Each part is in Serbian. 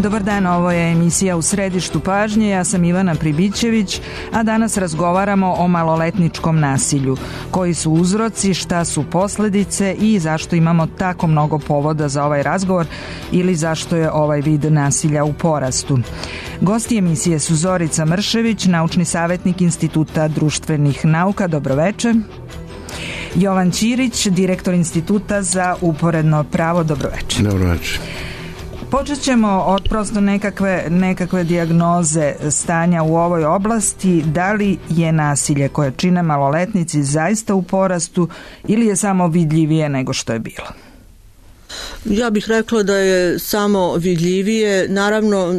Dobar dan, ovo je emisija U središtu pažnje, ja sam Ivana Pribićević, a danas razgovaramo o maloletničkom nasilju. Koji su uzroci, šta su posledice i zašto imamo tako mnogo povoda za ovaj razgovor ili zašto je ovaj vid nasilja u porastu. Gosti emisije su Zorica Mršević, naučni savjetnik Instituta društvenih nauka. Dobroveče. Jovan Ćirić, direktor Instituta za uporedno pravo. Dobroveče. Dobroveče. Počet ćemo od prosto nekakve dijagnoze stanja u ovoj oblasti. Da li je nasilje koje čine maloletnici zaista u porastu ili je samo vidljivije nego što je bilo? Ja bih rekla da je samo vidljivije. Naravno,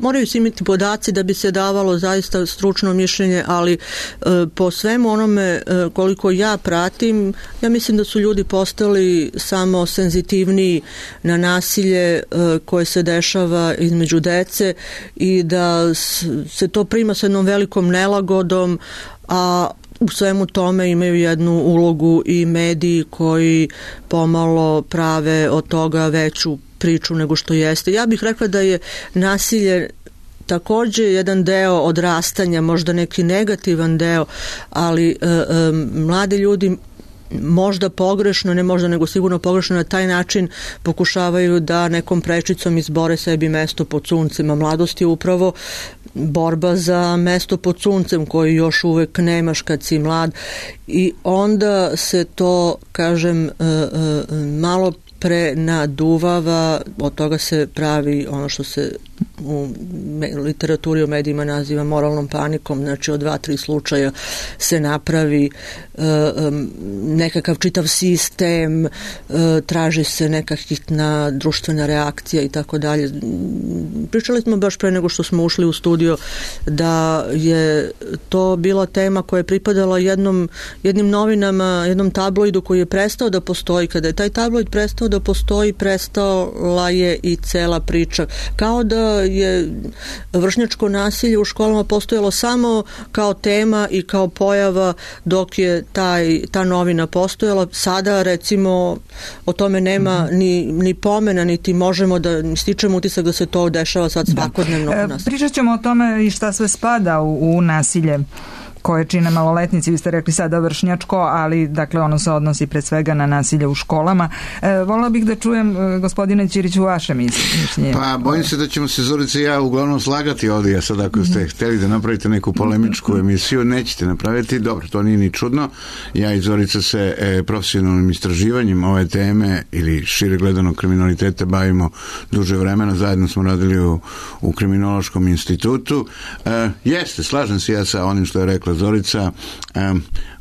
moraju se imati podaci da bi se davalo zaista stručno mišljenje, ali po svemu onome koliko ja pratim, ja mislim da su ljudi postali samo senzitivniji na nasilje koje se dešava između dece i da se to prima sa jednom velikom nelagodom, a u svemu tome imaju jednu ulogu i mediji koji pomalo prave od toga veću priču nego što jeste. Ja bih rekla da je nasilje također jedan deo odrastanja, možda neki negativan deo, ali mladi ljudi možda pogrešno, ne možda nego sigurno pogrešno na taj način pokušavaju da nekom prečicom izbore sebi mesto pod suncem. Mladost je upravo borba za mesto pod suncem koji još uvek nemaš kad si mlad i onda se to, kažem, malo prenaduvava, od toga se pravi ono što se u literaturi o medijima naziva moralnom panikom, znači od 2-3 slučaja se napravi nekakav čitav sistem, traži se neka hitna društvena reakcija i tako dalje. Pričali smo baš pre nego što smo ušli u studio da je to bila tema koja je pripadala jednim novinama, jednom tabloidu koji je prestao da postoji. Kada je taj tabloid prestao da postoji, prestala je i cela priča. Kao da je vršnjačko nasilje u školama postojalo samo kao tema i kao pojava dok je ta novina postojala. Sada recimo o tome nema ni pomena, niti možemo da stičemo utisak da se to dešava sad svakodnevno u nas. Pričat ćemo o tome i šta sve spada u nasilje koje čine maloletnici. Vi ste rekli sada vršnjačko, ali dakle ono se odnosi pred svega na nasilje u školama. Volila bih da čujem, gospodine Ćiriću, vaše mišljenje. Pa bojim se da ćemo se Zorica i ja uglavnom slagati ovdje. Ja sad ako ste htjeli da napravite neku polemičku emisiju, nećete napraviti. Dobro, to nije ni čudno. Ja i Zorica se profesionalnim istraživanjem ove teme ili šire gledano kriminaliteta bavimo duže vremena. Zajedno smo radili u Kriminološkom institutu. Jeste, slažem se ja sa onim što je rekla Zorica,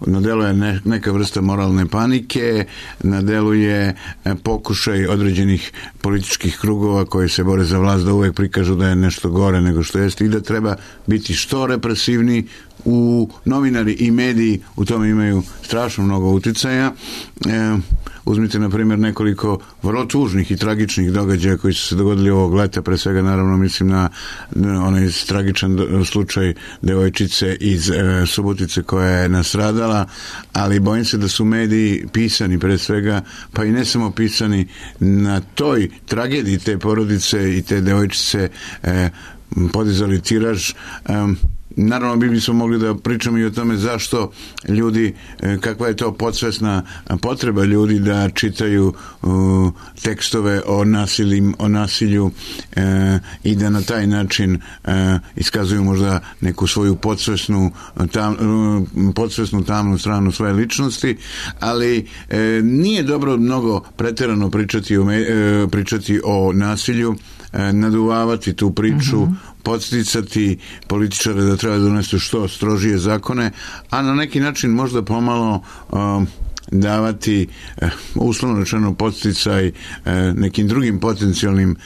na delu je neka vrsta moralne panike, na delu je pokušaj određenih političkih krugova koji se bore za vlast da uvek prikažu da je nešto gore nego što jeste i da treba biti što represivni. Novinari i mediji u tome imaju strašno mnogo uticaja. Uzmite na primjer nekoliko vrlo tužnih i tragičnih događaja koji su se dogodili ovog leta, pre svega naravno mislim na onaj tragičan slučaj devojčice iz Subotice koja je nastradala, ali bojim se da su mediji pisani pre svega, pa i ne samo pisani na toj tragediji te porodice i te devojčice podizali tiraž. Naravno bi smo mogli da pričamo i o tome zašto ljudi, kakva je to podsvesna potreba ljudi da čitaju tekstove o nasilju i da na taj način iskazuju možda neku svoju podsvesnu tamnu stranu svoje ličnosti, ali nije dobro mnogo preterano pričati o nasilju, naduvavati tu priču, podsticati političare da treba donesti što strožije zakone, a na neki način možda pomalo davati uslovno rečeno podsticaj nekim drugim potencijalnim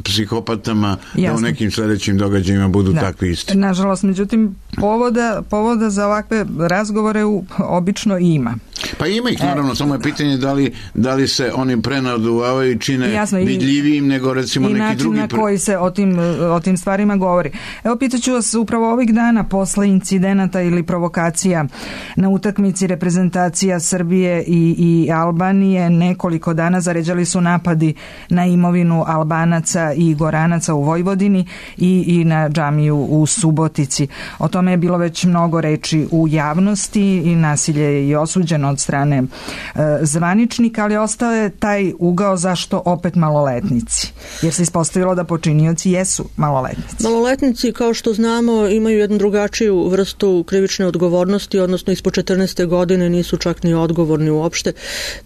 psihopatama da u nekim sljedećim događajima budu takvi isti. Nažalost, međutim, povoda za ovakve razgovore obično ima. Pa ima ih, naravno, samo je pitanje da li se oni prenaduvavaju i čine vidljivijim nego recimo neki drugi. I način na koji se o tim stvarima govori. Evo, pitaću vas upravo ovih dana posle incidenata ili provokacija na utakmici reprezentacija Srbije i Albanije, nekoliko dana zaređali su napadi na imovinu Albanaca napada i Goranaca u Vojvodini i na džamiju u Subotici. O tome je bilo već mnogo reči u javnosti i nasilje je i osuđeno od strane zvaničnika, ali ostao je taj ugao zašto opet maloletnici. Jer se ispostavilo da počinioci jesu maloletnici. Maloletnici, kao što znamo, imaju jednu drugačiju vrstu krivične odgovornosti, odnosno ispod 14. godine nisu čak ni odgovorni uopšte.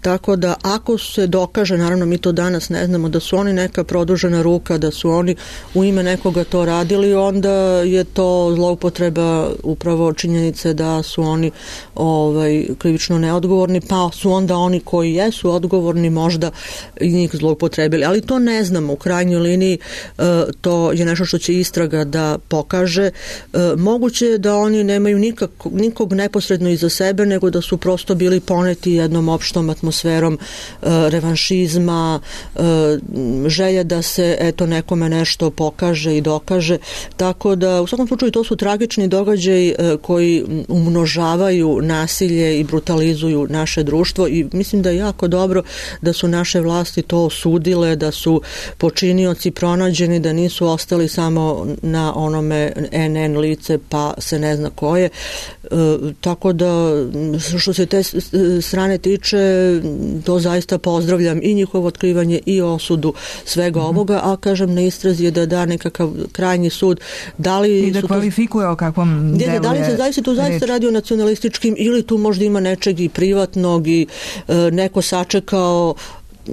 Tako da ako se dokaže, naravno mi to danas ne znamo, da su oni neka produžena ruka, da su oni u ime nekoga to radili, onda je to zloupotreba upravo činjenice da su oni krivično neodgovorni, pa su onda oni koji jesu odgovorni možda i njih zloupotrebili. Ali to ne znamo u krajnjoj liniji, to je nešto što će istraga da pokaže. Moguće je da oni nemaju nikog neposredno iza sebe, nego da su prosto bili poneti jednom opštom atmosferom revanšizma, želje da se nekome nešto pokaže i dokaže. Tako da u svakom slučaju to su tragični događaji koji umnožavaju nasilje i brutalizuju naše društvo i mislim da je jako dobro da su naše vlasti to osudile, da su počinioci pronađeni, da nisu ostali samo na onome NN lice pa se ne zna koje. Tako da što se te strane tiče, to zaista pozdravljam i njihovo otkrivanje i osudu svega ovoga, a kažem na istrazi je da da nekakav krajnji sud. Da li i da kvalifikuje o kakvom delu je da li se zaista radi o nacionalističkim ili tu možda ima nečeg i privatnog i neko sačekao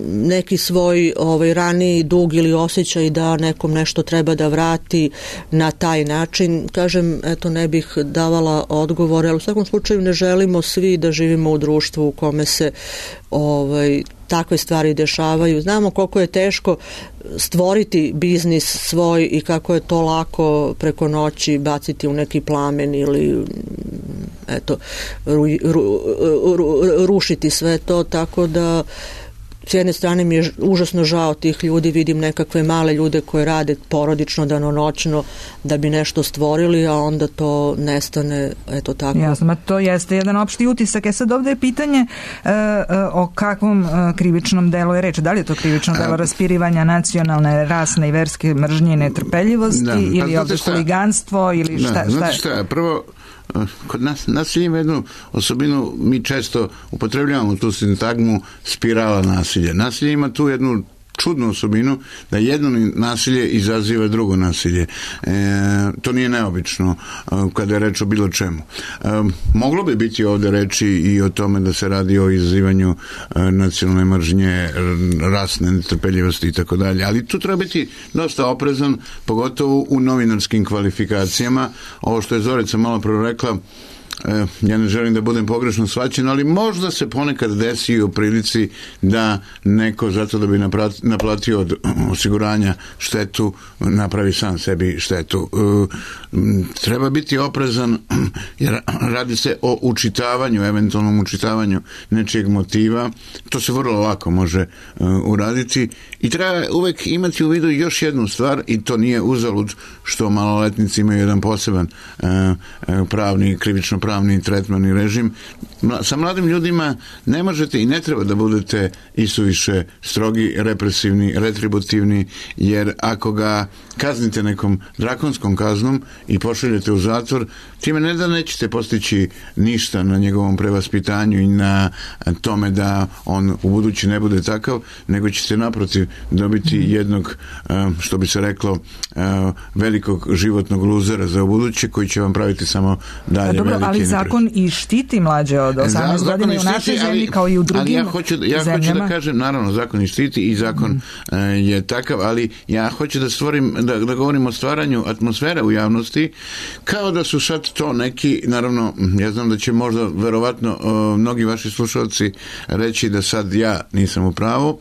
neki svoj raniji dug ili osjećaj da nekom nešto treba da vrati na taj način. Kažem, eto, ne bih davala odgovore, ali u svakom slučaju ne želimo svi da živimo u društvu u kome se takve stvari dešavaju. Znamo koliko je teško stvoriti biznis svoj i kako je to lako preko noći baciti u neki plamen ili rušiti sve to, tako da s jedne strane mi je užasno žao tih ljudi, vidim nekakve male ljude koje rade porodično, danonoćno da bi nešto stvorili, a onda to nestane, eto tako. Jasno, to jeste jedan opšti utisak. Sad ovde je pitanje o kakvom krivičnom delu je reč. Da li je to krivično delo raspirivanja nacionalne, rasne i verske mržnje i netrpeljivosti ili ovde huliganstvo ili šta? Znate šta, prvo kod nas nasilje ima jednu osobinu, mi često upotrebljavamo tu sintagmu spirala nasilja. Nasilje ima tu jednu čudnu osobinu da jedno nasilje izaziva drugo nasilje. To nije neobično kada je reč o bilo čemu. Moglo bi biti ovde reči i o tome da se radi o izazivanju nacionalne mržnje, rasne netrpeljivosti i tako dalje, ali tu treba biti dosta oprezan, pogotovo u novinarskim kvalifikacijama. Ovo što je Zorica malo prvo rekla, ja ne želim da budem pogrešno shvaćen, ali možda se ponekad desi u prilici da neko zato da bi naplatio od osiguranja štetu napravi sam sebi štetu. Treba biti oprezan jer radi se o učitavanju, eventualnom učitavanju nečijeg motiva. To se vrlo lako može uraditi i treba uvek imati u vidu još jednu stvar i to nije uzalud što maloletnici imaju jedan poseban pravni, krivično pravni tretman i režim. Sa mladim ljudima ne možete i ne treba da budete isuviše strogi, represivni, retributivni, jer ako ga kaznite nekom drakonskom kaznom i pošaljete u zatvor, time ne da nećete postići ništa na njegovom prevaspitanju i na tome da on u budući ne bude takav, nego ćete naprotiv dobiti jednog, što bi se reklo, velikog životnog luzera za ubuduće koji će vam praviti samo dalje velike neprijatelje. Ali zakon i štiti mlađe od 18 godina i u našoj zemlji kao i u drugim zemljama. Ali ja hoću da kažem, naravno, zakon i štiti i zakon je takav, ali ja hoću da stvorim, da govorim o stvaranju atmosfere u javnosti, kao da su sad to neki, naravno, ja znam da će možda verovatno mnogi vaši slušalci reći da sad ja nisam u pravu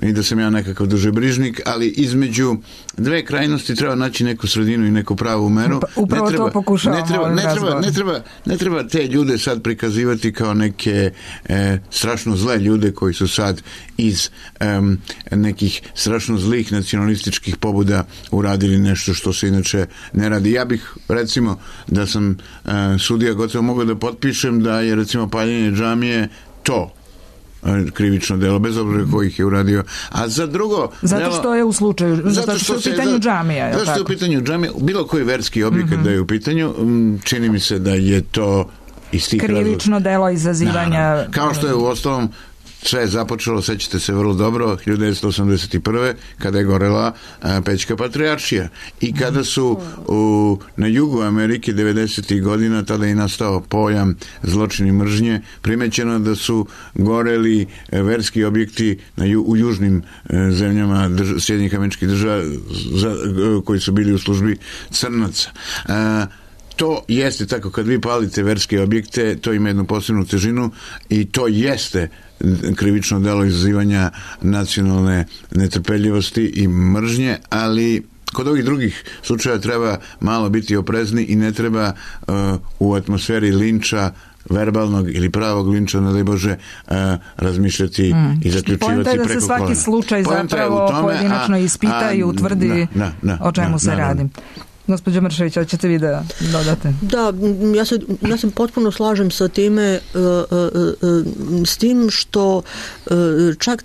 i da sam ja nekakav dužebrižnik, ali između dve krajnosti treba naći neku sredinu i neku pravu meru. Upravo to pokušavamo. Ne treba te ljude sad prikazivati kao neke strašno zle ljude koji su sad iz nekih strašno zlih nacionalističkih pobuda uradili nešto što se inače ne radi. Ja bih, recimo, da sam sudija gotovo mogao da potpišem da je, recimo, paljenje džamije to. krivično delo, bez obzira kojih je uradio. A za drugo... Zato što je u slučaju, zato što je u pitanju džamija. Zato što je u pitanju džamija, bilo koji verski objekat da je u pitanju, čini mi se da je to iz tih krivično delo izazivanja... Kao što je u ostalom sve je započelo, sećate se vrlo dobro, 1981. kada je gorela Pećka patrijaršija i kada su na jugu Amerike 90. godina, tada je nastao pojam zločini mržnje, primećeno da su goreli verski objekti u južnim zemljama Sjedinjenih Američkih Država koji su bili u službi crnaca. To jeste tako, kad vi palite verske objekte, to ima jednu posebnu težinu i to jeste krivično delo izazivanja nacionalne netrpeljivosti i mržnje, ali kod ovih drugih slučaja treba malo biti oprezni i ne treba u atmosferi linča, verbalnog ili pravog linča, ne daj Bože, razmišljati i zaključivati preko kolena. Poenta je da se svaki slučaj zapravo pojedinačno ispita i utvrdi o čemu se radi. Gospođo Mršević, hoćete vi da dodate? Da, ja se potpuno slažem sa time, s tim što čak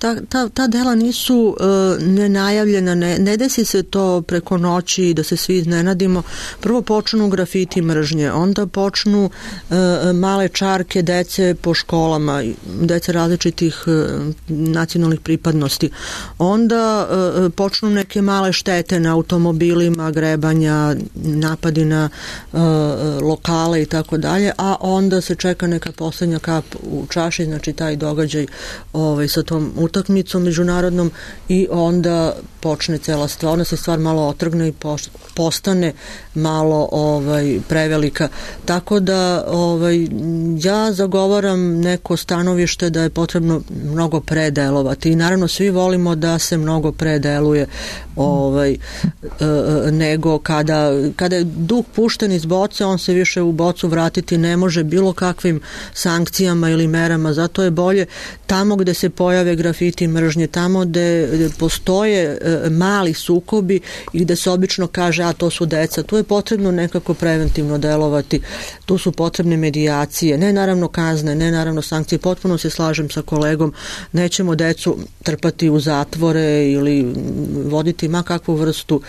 ta dela nisu nenajavljena, ne desi se to preko noći da se svi iznenadimo. Prvo počnu grafiti mržnje, onda počnu male čarke dece po školama, dece različitih nacionalnih pripadnosti. Onda počnu neke male štete na automobilima, grebanja, napadi na lokale i tako dalje, a onda se čeka neka poslednja kap u čaši, znači taj događaj sa tom utakmicom međunarodnom i onda počne cela stvar, onda se stvar malo otrgne i postane malo prevelika. Tako da ja zagovaram neko stanovište da je potrebno mnogo predelovati i naravno svi volimo da se mnogo predeluje nego kada je duh pušten iz boce, on se više u bocu vratiti ne može bilo kakvim sankcijama ili merama, zato je bolje tamo gde se pojave grafiti mržnje, tamo gde postoje mali sukobi i gde se obično kaže, a to su deca, tu je potrebno nekako preventivno delovati, tu su potrebne medijacije, ne naravno kazne, ne naravno sankcije, potpuno se slažem sa kolegom, nećemo decu trpati u zatvore ili voditi ma kakvu vrstu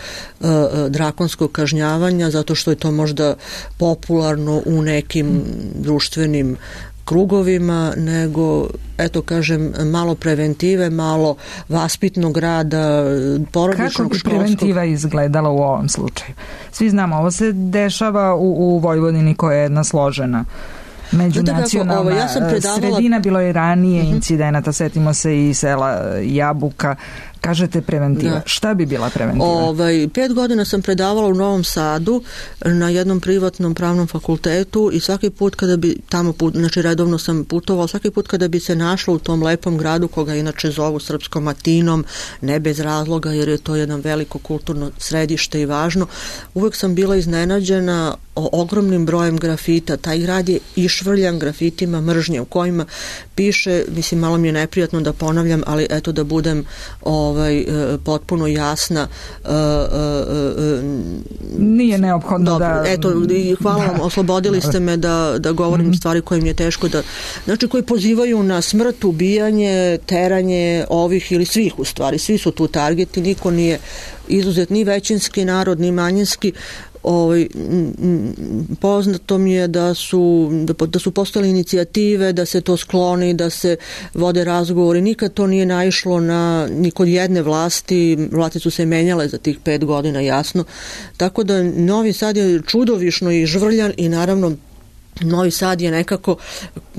drakonskog kažnjavanja, zato što je to možda popularno u nekim društvenim krugovima, nego, eto kažem, malo preventive, malo vaspitnog rada, porodičnog, školskog. Kako bi preventiva izgledala u ovom slučaju? Svi znamo, ovo se dešava u Vojvodini koja je jedna složena međunacionalna sredina, bilo je ranije incidenata, setimo se i sela Jabuka. Kažete preventiva. Da. Šta bi bila preventiva? 5 godina sam predavala u Novom Sadu na jednom privatnom pravnom fakultetu i svaki put kada bi tamo, znači redovno sam putovala, svaki put kada bi se našla u tom lepom gradu, koga inače zovu Srpskom Atinom, ne bez razloga jer je to jedan veliko kulturno središte i važno, uvek sam bila iznenađena ogromnim brojem grafita. Taj grad je išvrljan grafitima mržnje u kojima piše, mislim, malo mi je neprijatno da ponavljam, ali eto da budem potpuno jasna. Nije neophodno. Dobro, da... Eto, hvala vam, oslobodili ste me da govorim stvari koje mi je teško da... Znači, koji pozivaju na smrt, ubijanje, teranje ovih ili svih u stvari. Svi su tu targeti, niko nije izuzet, ni većinski narod, ni manjinski. Poznato mi je da su postojale inicijative da se to skloni, da se vode razgovori, nikad to nije naišlo ni kod jedne vlasti su se menjale za tih 5 godina, jasno, tako da Novi Sad je čudovišno i žvrljan i naravno Novi Sad je nekako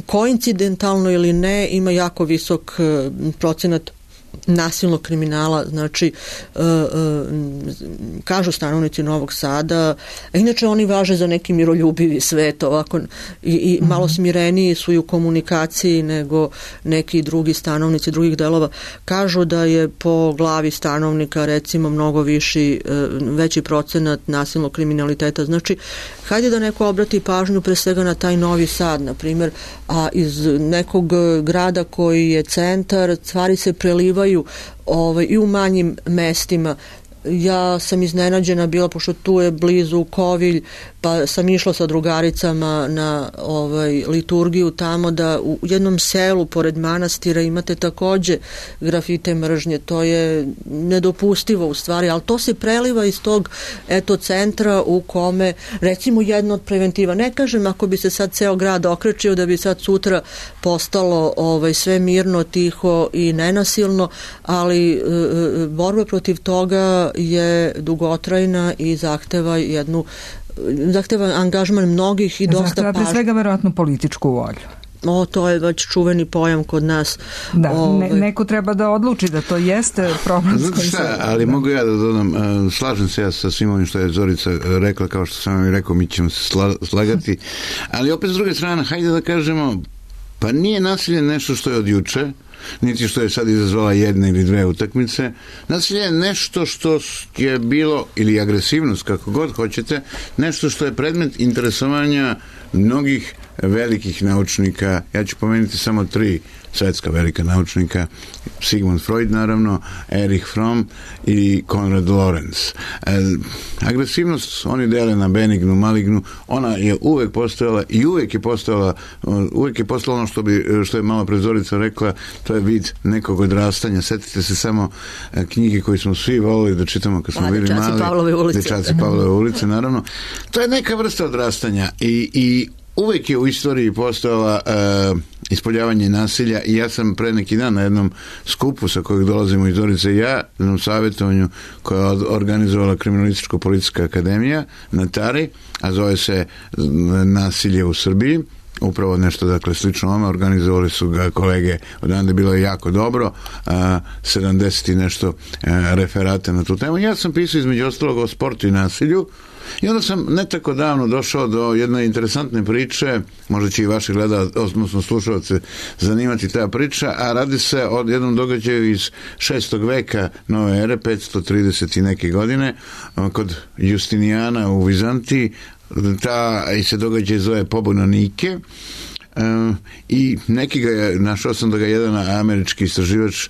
koincidentalno ili ne ima jako visok procenat nasilnog kriminala, znači kažu stanovnici Novog Sada, a inače oni važe za neki miroljubivi svet ovako i malo smireniji su i u komunikaciji nego neki drugi stanovnici drugih delova, kažu da je po glavi stanovnika recimo mnogo veći procenat nasilnog kriminaliteta, znači hajde da neko obrati pažnju pre svega na taj Novi Sad, na primjer, a iz nekog grada koji je centar, stvari se prelivaju i u manjim mestima. Ja sam iznenađena bila, pošto tu je blizu Kovilj, pa sam išla sa drugaricama na liturgiju tamo, da u jednom selu pored manastira imate takođe grafite mržnje. To je nedopustivo u stvari, ali to se preliva iz tog centra u kome, recimo, jedno od preventiva. Ne kažem ako bi se sad ceo grad okrečio da bi sad sutra postalo sve mirno, tiho i nenasilno, ali borba protiv toga je dugotrajna i zahteva angažman mnogih i dosta pažnje. Zahteva pre svega verovatno političku volju. To je već čuveni pojam kod nas. Da, neko treba da odluči da to jeste problem. Ali mogu ja da dodam, slažem se ja sa svim ovim što je Zorica rekla, kao što sam vam i rekao, mi ćemo se slagati, ali opet s druge strane, hajde da kažemo, pa nije nasilje nešto što je od juče, niti što je sad izazvala jedna ili dve utakmice. Nasilje je nešto što je bilo, ili agresivnost, kako god hoćete, nešto što je predmet interesovanja mnogih velikih naučnika. Ja ću pomenuti samo 3 svetska velika naučnika: Sigmund Freud, naravno, Erich Fromm i Konrad Lorenz. Agresivnost oni dele na benignu, malignu. Ona je uvek postojala i uvek je postojala ono što je malo pre Zorica rekla, to je vid nekog odrastanja. Setite se samo knjige koje smo svi volili da čitamo kad smo bili mali. Dečaci Pavlove ulice, naravno. To je neka vrsta odrastanja i uvek je u istoriji postojala ispoljavanje nasilja i ja sam pre neki dan na jednom skupu sa kojeg dolazimo iz Zorice i ja, na jednom savjetovanju koja je organizovala Kriminalističko-policijska akademija na Tari, a zove se Nasilje u Srbiji, upravo nešto, dakle, slično ovome, organizovali su ga kolege odande, bilo je jako dobro, 70 i nešto referata na tu temu. Ja sam pisao između ostalog o sportu i nasilju i onda sam ne tako davno došao do jedne interesantne priče, možda će i vaši odnosno slušalce zanimati ta priča, a radi se o jednom događaju iz 6. veka nove ere, 530 i neke godine, kod Justinijana u Vizantiji. I se događaj zove pobuna Nike i našao sam da ga jedan američki istraživač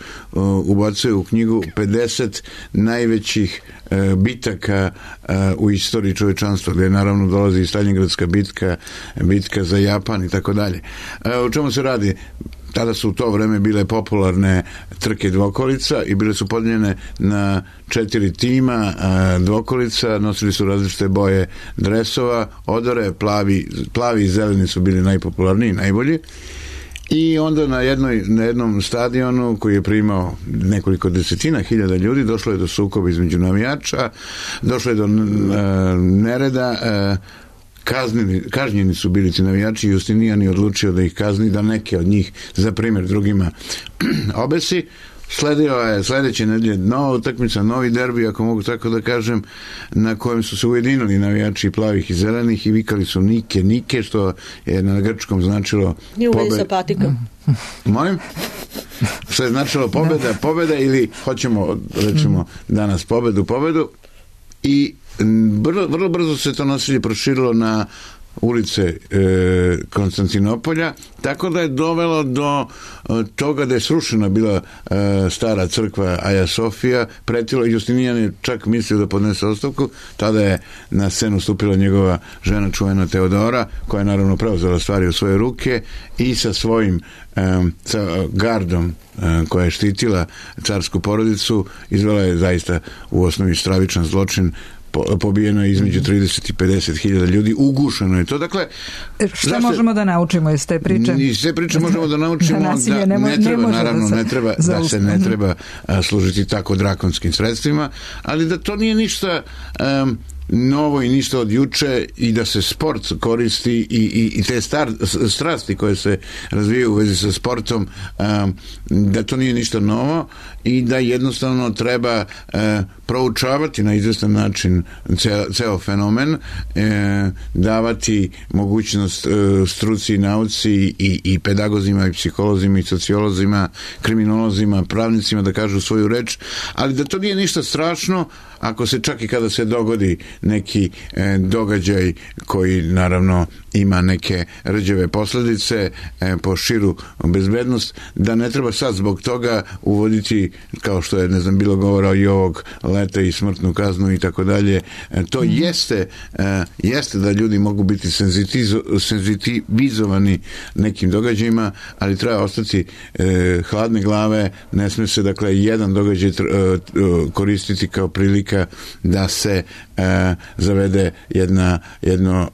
ubacuje u knjigu 50 najvećih bitaka u istoriji čovečanstva, gde naravno dolazi i Staljingradska bitka za Japan i tako dalje. O čemu se radi? Tada su u to vreme bile popularne trke dvokolica i bile su podeljene na 4 tima dvokolica, nosili su različite boje dresova, odore, plavi i zeleni su bili najpopularniji, najbolji. I onda na jednom stadionu koji je primao nekoliko desetina hiljada ljudi došlo je do sukoba između navijača, došlo je do nereda, kažnjeni su bili ti navijači i Justinijan je odlučio da ih kazni, da neke od njih za primjer drugima obesi. Sledeće nedelje nova utakmica, novi derbi, ako mogu tako da kažem, na kojem su se ujedinili navijači plavih i zelenih i vikali su Nike, što je na grčkom značilo nije u vezi sa patikom. Molim? Što je značilo pobeda ili hoćemo, recimo, danas pobedu i vrlo brzo se to nasilje proširilo na ulice Konstantinopolja, tako da je dovelo do toga da je srušena bila stara crkva Aja Sofija, pretilo, Justinijan je čak mislio da podnese ostavku, tada je na scenu stupila njegova žena čuvena Teodora, koja je naravno preuzela stvari u svoje ruke i sa svojim sa gardom koja je štitila carsku porodicu, izvela je zaista u osnovi stravičan zločin. Pobijeno je između 30 i 50 hiljada ljudi, ugušeno je to. Dakle, šta možemo da naučimo iz te priče? Iz te priče možemo da naučimo da se ne treba služiti tako drakonskim sredstvima, ali da to nije ništa novo i ništa od juče i da se sport koristi i te strasti koje se razvijaju u vezi sa sportom, da to nije ništa novo i da jednostavno treba proučavati na izvestan način ceo fenomen, davati mogućnost struci i nauci i pedagozima i psiholozima i sociolozima, kriminolozima, pravnicima da kažu svoju reč, ali da to nije ništa strašno ako se čak i kada se dogodi neki događaj koji naravno ima neke rđave posledice po širu bezbednost, da ne treba sad zbog toga uvoditi, kao što je, ne znam, bilo govora i ovog leta i smrtnu kaznu i tako dalje. To jeste da ljudi mogu biti senzitivizovani nekim događajima, ali treba ostati hladne glave, ne sme se, dakle, jedan događaj koristiti kao prilika da se zavede jedno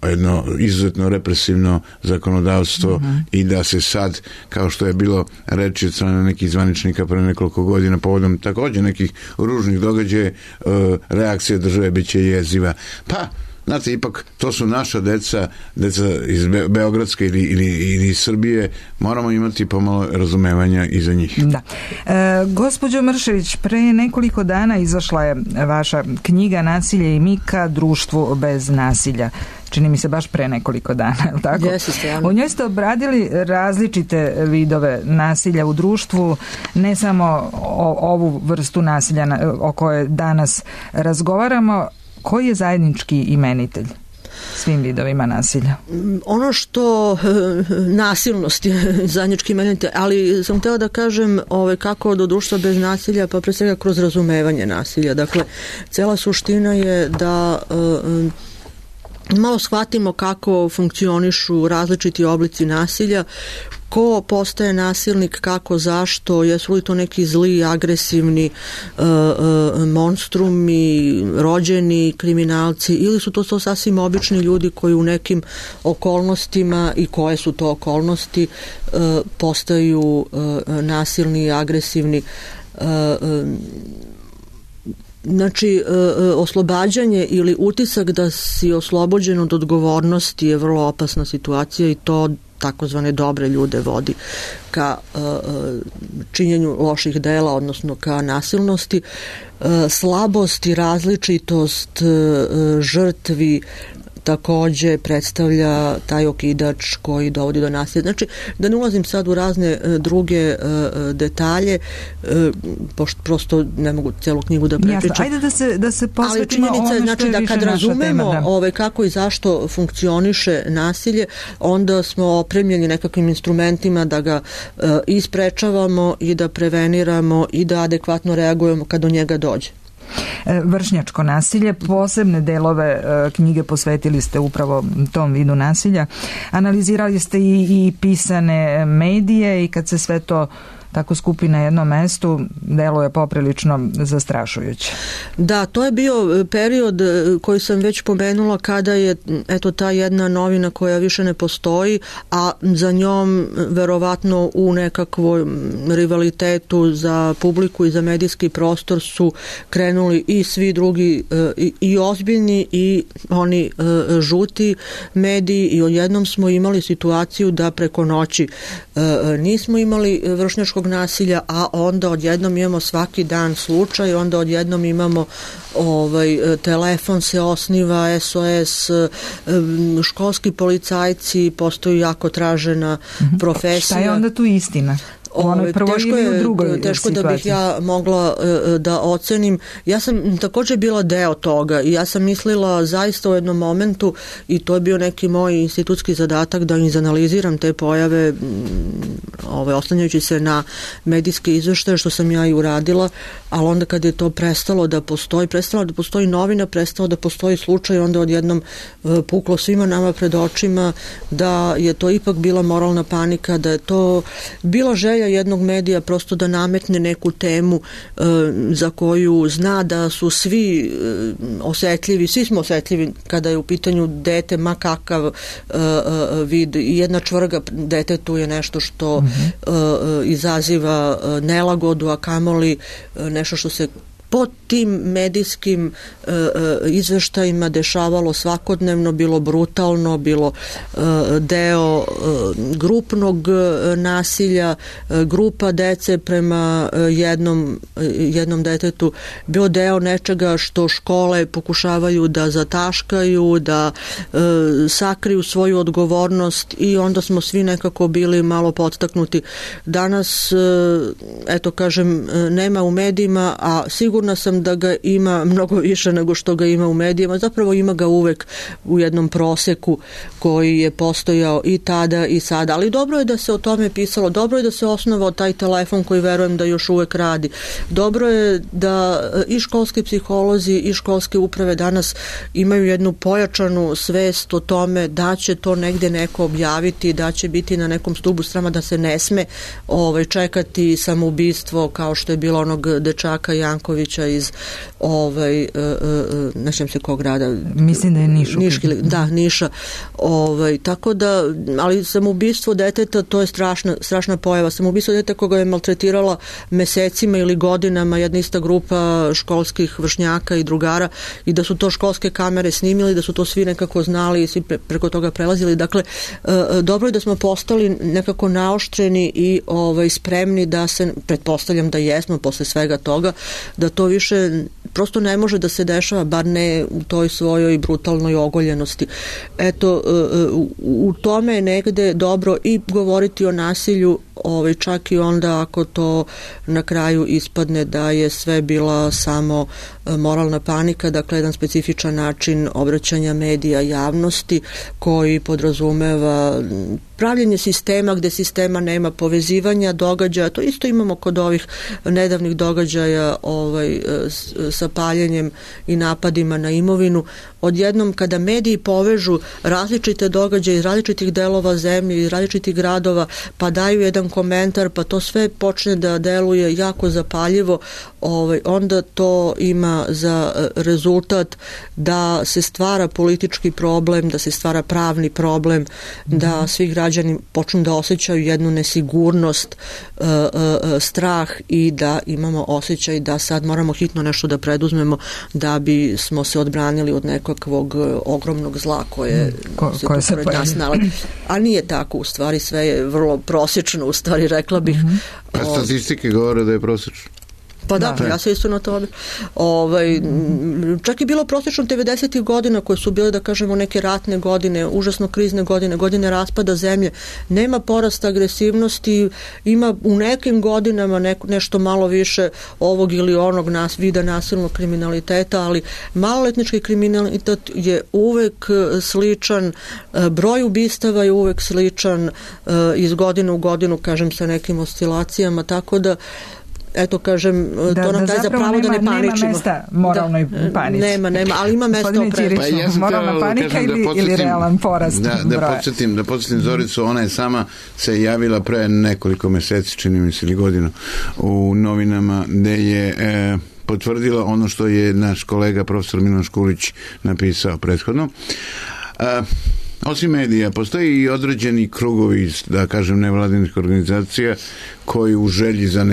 izuzetno represivno zakonodavstvo i da se sad, kao što je bilo reči od strane nekih zvaničnika pre nekoliko godina povodom također nekih ružnih događaja, reakcija države biće jeziva. Pa, znate, ipak to su naša deca iz Beogradske ili iz Srbije, moramo imati pomalo razumevanja i za njih. Da. Gospođo Mršević, pre nekoliko dana izašla je vaša knjiga Nasilje i Mika, društvu bez nasilja. Čini mi se baš pre nekoliko dana, je li tako? U njoj ste obradili različite vidove nasilja u društvu, ne samo ovu vrstu nasilja o kojoj danas razgovaramo. Koji je zajednički imenitelj svim vidovima nasilja? Ono što nasilnost je zajednički imenitelj, ali sam htjela da kažem kako do društva bez nasilja, pa pre svega kroz razumevanje nasilja. Dakle, cela suština je da malo shvatimo kako funkcionišu različiti oblici nasilja, ko postaje nasilnik, kako, zašto, jesu li to neki zli, agresivni monstrumi, rođeni kriminalci, ili su to sasvim obični ljudi koji u nekim okolnostima, i koje su to okolnosti, postaju nasilni, agresivni. Znači, oslobađanje ili utisak da si oslobođen od odgovornosti je vrlo opasna situacija i to takozvane dobre ljude vodi ka činjenju loših dela, odnosno ka nasilnosti. Slabost i različitost žrtvi takođe predstavlja taj okidač koji dovodi do nasilja. Znači, da ne ulazim sad u razne druge detalje, pošto prosto ne mogu celu knjigu da prepričam. Jasno, ajde da se posvetimo ono što je znači, da kad razumemo kako i zašto funkcioniše nasilje, onda smo opremljeni nekakvim instrumentima da ga isprečavamo i da preveniramo i da adekvatno reagujemo kad do njega dođe. Vršnjačko nasilje, posebne delove knjige posvetili ste upravo tom vidu nasilja. Analizirali ste i pisane medije i kad se sve to tako skupi na jednom mestu, deluje poprilično zastrašujuće. Da, to je bio period koji sam već pomenula kada je ta jedna novina koja više ne postoji, a za njom verovatno u nekakvom rivalitetu za publiku i za medijski prostor su krenuli i svi drugi i ozbiljni i oni žuti mediji i odjednom smo imali situaciju da preko noći nismo imali vršnjačkog nasilja, a onda odjednom imamo svaki dan slučaj, onda odjednom imamo telefon se osniva, SOS, školski policajci postaju jako tražena profesija. Šta je onda tu istina? Teško da bih ja mogla da ocenim. Ja sam također bila deo toga i ja sam mislila zaista u jednom momentu, i to je bio neki moj institutski zadatak, da izanaliziram te pojave oslanjajući se na medijske izveštaje, što sam ja i uradila, ali onda kad je to prestala da postoji novina, prestalo da postoji slučaj, onda odjednom puklo svima nama pred očima da je to ipak bila moralna panika, da je to bila želja jednog medija prosto da nametne neku temu za koju zna da su svi osetljivi, svi smo osetljivi kada je u pitanju dete, ma kakav vid, jedna čvrga detetu je nešto što izaziva nelagodu, a kamoli nešto što se po tim medijskim izveštajima dešavalo svakodnevno, bilo brutalno, bilo deo grupnog nasilja, grupa dece prema jednom detetu, bio deo nečega što škole pokušavaju da zataškaju, da sakriju svoju odgovornost, i onda smo svi nekako bili malo podstaknuti. Danas, eto kažem, nema u medijima, a sigurno sigurna sam da ga ima mnogo više nego što ga ima u medijima. Zapravo ima ga uvek u jednom proseku koji je postojao i tada i sada. Ali dobro je da se o tome pisalo, dobro je da se osnovao taj telefon koji verujem da još uvek radi. Dobro je da i školski psiholozi i školske uprave danas imaju jednu pojačanu svest o tome da će to negde neko objaviti, da će biti na nekom stubu srama, da se ne sme čekati samoubistvo kao što je bilo onog dečaka Jankovića iz ne znam se kog grada. Mislim da je Niš. Da, Niša. Tako da, ali samoubistvo deteta, to je strašna pojava. Samoubistvo deteta koga je maltretirala mesecima ili godinama jedna ista grupa školskih vršnjaka i drugara i da su to školske kamere snimili, da su to svi nekako znali i svi preko toga prelazili. Dakle, dobro je da smo postali nekako naoštreni i spremni da se, pretpostavljam da jesmo posle svega toga, da to više prosto ne može da se dešava, bar ne u toj svojoj brutalnoj ogoljenosti. Eto, u tome je negde dobro i govoriti o nasilju, čak i onda ako to na kraju ispadne da je sve bila samo moralna panika, dakle jedan specifičan način obraćanja medija javnosti koji podrazumeva pravljenje sistema gde sistema nema, povezivanja događaja. To isto imamo kod ovih nedavnih događaja sa paljenjem i napadima na imovinu. Odjednom kada mediji povežu različite događaje iz različitih delova zemlje, iz različitih gradova, pa daju jedan komentar, pa to sve počne da deluje jako zapaljivo, onda to ima za rezultat da se stvara politički problem, da se stvara pravni problem, da svi građani počnu da osjećaju jednu nesigurnost, strah i da imamo osjećaj da sad moramo hitno nešto da preduzmemo da bi smo se odbranili od nekakvog ogromnog zla koje se pored nas nalazi. A nije tako, u stvari sve je vrlo prosječno, u stvari rekla bih. A statistike govore da je prosječno. Pa da, ja se isto na tome. Čak i bilo prosječno 90. godina koje su bile, da kažemo, neke ratne godine, užasno krizne godine raspada zemlje. Nema porasta agresivnosti, ima u nekim godinama nešto malo više ovog ili onog vida nasilnog kriminaliteta, ali maloletnički kriminalitet je uvek sličan, broj ubistava je uvek sličan iz godine u godinu, kažem, sa nekim oscilacijama, tako da eto, kažem, to nam daje za pravo da ne paničimo. Nema mesta moralnoj panici. Nema, ali ima mesta oprezu. Moralna panika ili realan porast broja? Da podsjetim Zoricu, ona je sama se javila pre nekoliko meseci, čini mi se, ili godinu, u novinama, gde je potvrdila ono što je naš kolega profesor Milan Škulić napisao prethodno. Osim medija, postoji i određeni krugovi, da kažem, nevladinih organizacija koji u želji za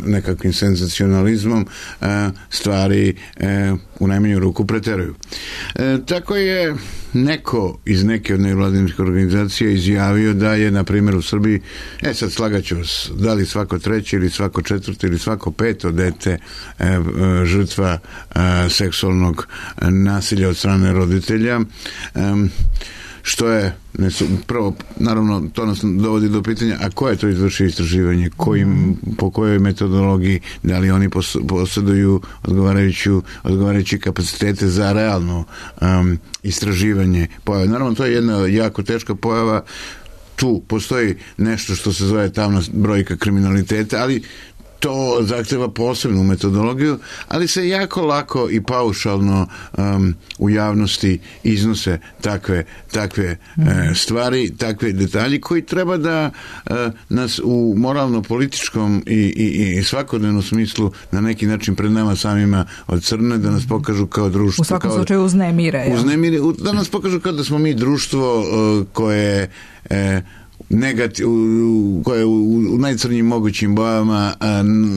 nekakvim senzacionalizmom stvari u najmanju ruku preteruju. Tako je neko iz neke od nevladinih organizacija izjavio da je, na primjer, u Srbiji, sad slagaću vas, da li svako treće ili svako četvrto ili svako peto dete žrtva seksualnog nasilja od strane roditelja, što je, prvo, naravno, to nas dovodi do pitanja, a ko je to izvršio istraživanje, po kojoj metodologiji, da li oni posjeduju odgovarajući kapacitete za realno istraživanje pojave. Naravno, to je jedna jako teška pojava, tu postoji nešto što se zove tamna brojka kriminaliteta, ali to zahteva posebnu metodologiju, ali se jako lako i paušalno u javnosti iznose takve stvari, takve detalji koji treba da nas u moralno-političkom i svakodnevnom smislu na neki način pred nama samima odcrne, da nas pokažu kao društvo. U svakom slučaju uznemire. Da nas pokažu kao da smo mi društvo koje koje u najcrnjim mogućim bojama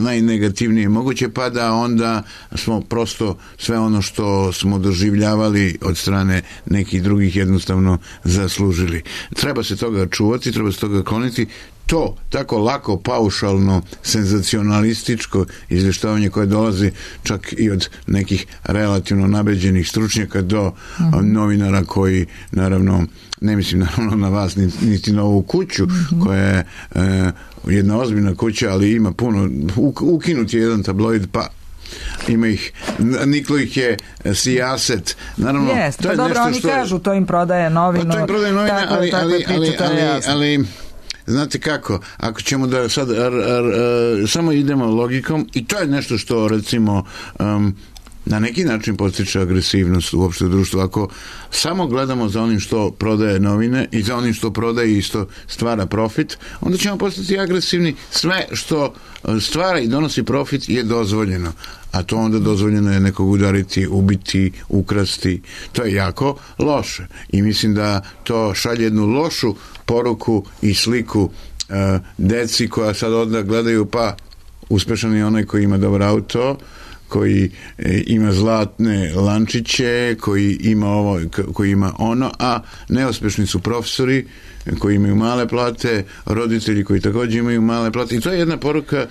najnegativnije moguće, pa da onda smo prosto sve ono što smo doživljavali od strane nekih drugih jednostavno zaslužili. Treba se toga čuvati, treba se toga kloniti. To tako lako, paušalno, senzacionalističko izvještavanje koje dolazi čak i od nekih relativno nabeđenih stručnjaka do novinara koji, naravno, ne mislim naravno na vas niti na ovu kuću koja je jedna ozbiljna kuća, ali ima puno, ukinut je jedan tabloid, pa ima ih, niklo ih je sijaset. Naravno, Jest, to je dobro, nešto oni što... kažu, to im prodaje novinu. To im prodaje novina, ali znate kako, ako ćemo da sad samo idemo logikom, i to je nešto što recimo na neki način postiče agresivnost uopšte u društvu. Ako samo gledamo za onim što prodaje novine i za onim što prodaje i što stvara profit, onda ćemo postati agresivni. Sve što stvara i donosi profit je dozvoljeno, a to onda dozvoljeno je nekog udariti, ubiti, ukrasti. To je jako loše i mislim da to šalje jednu lošu poruku i sliku deci koja sad onda gledaju, pa uspešan je onaj koji ima dobar auto, koji ima zlatne lančiće, koji ima ovo, koji ima ono, a neuspešni su profesori koji imaju male plate, roditelji koji također imaju male plate, i to je jedna poruka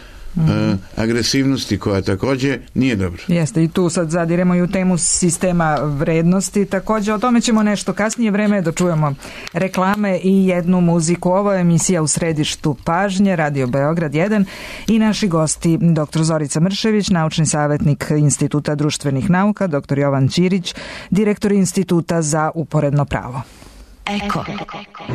agresivnosti koja također nije dobra. Jeste, i tu sad zadiremo i u temu sistema vrednosti. Također o tome ćemo nešto kasnije. Vreme je da čujemo reklame i jednu muziku. Ovo je emisija U središtu pažnje, Radio Beograd 1, i naši gosti dr. Zorica Mršević, naučni savjetnik Instituta društvenih nauka, dr. Jovan Ćirić, direktor Instituta za uporedno pravo. Eko.